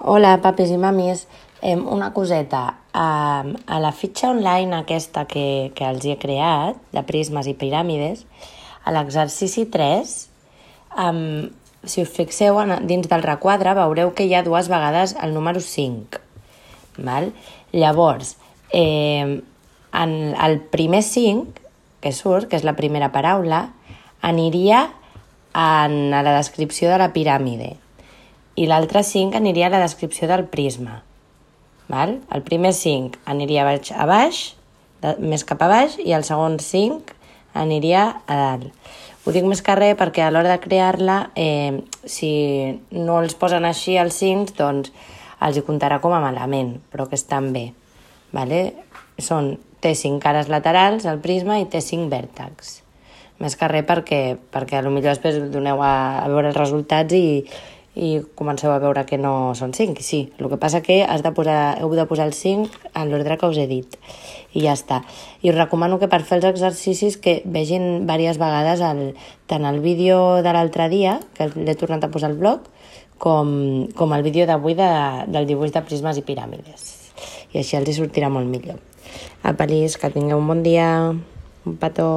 Hola, papis i mamis. Una coseta. A la fitxa online aquesta que els he creat, de prismes i piràmides, a l'exercici 3, si us fixeu dins del requadre, veureu que hi ha dues vegades el número 5. Val? Llavors, en el primer 5, que surt, que és la primera paraula, aniria a la descripció de la piràmide. I l'altre 5 aniria a la descripció del prisma. Val? El primer 5 aniria a baix, més cap a baix, i el segon 5 aniria a dalt. Ho dic més que res perquè a l'hora de crear-la, si no els posen així els 5, doncs els hi comptarà com a malament, però que estan bé. Vale? Té 5 cares laterals, el prisma, i té 5 vèrtexs. Més que res perquè potser després doneu a veure els resultats i comenceu a veure que no són 5. Sí, el que passa que heu de posar el 5 en l'ordre que us he dit. I ja està. I us recomano que per fer els exercicis que vegin diverses vegades tant el vídeo de l'altre dia, que l'he tornat a posar al blog, com el vídeo d'avui del dibuix de prismes i piràmides. I així els hi sortirà molt millor. Apa, que tingueu un bon dia. Un petó.